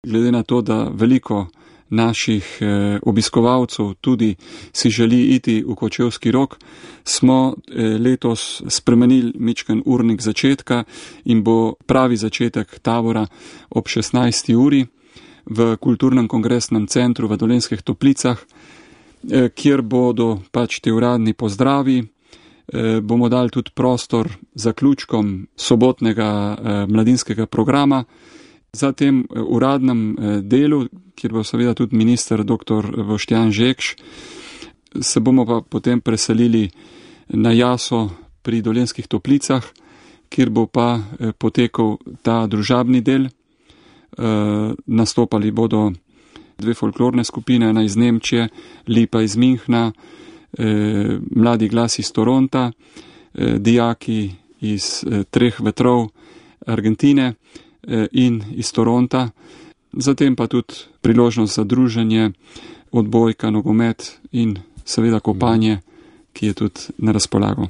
Glede na to, da veliko naših obiskovalcev tudi si želi iti v Kočevski Rog, smo letos spremenili mičken urnik začetka in bo pravi začetek tabora ob 16. uri v Kulturnem kongresnem centru v Dolenjskih Toplicah, kjer bodo pač te uradni pozdravi. Bomo dali tudi prostor zaključkom sobotnega mladinskega programa. Za tem uradnem delu, kjer bo seveda tudi minister dr. Boštjan Žekš, se bomo pa potem preselili na jaso pri Dolenjskih Toplicah, kjer bo pa potekal ta družabni del. Nastopali bodo dve folklorne skupine, ena iz Nemčije, Lipa iz Minhna, Mladi glas iz Toronta, dijaki iz Treh vetrov Argentine in iz Toronta, zatem pa tudi priložnost za druženje, odbojka, nogomet in seveda kopanje, ki je tudi na razpolago.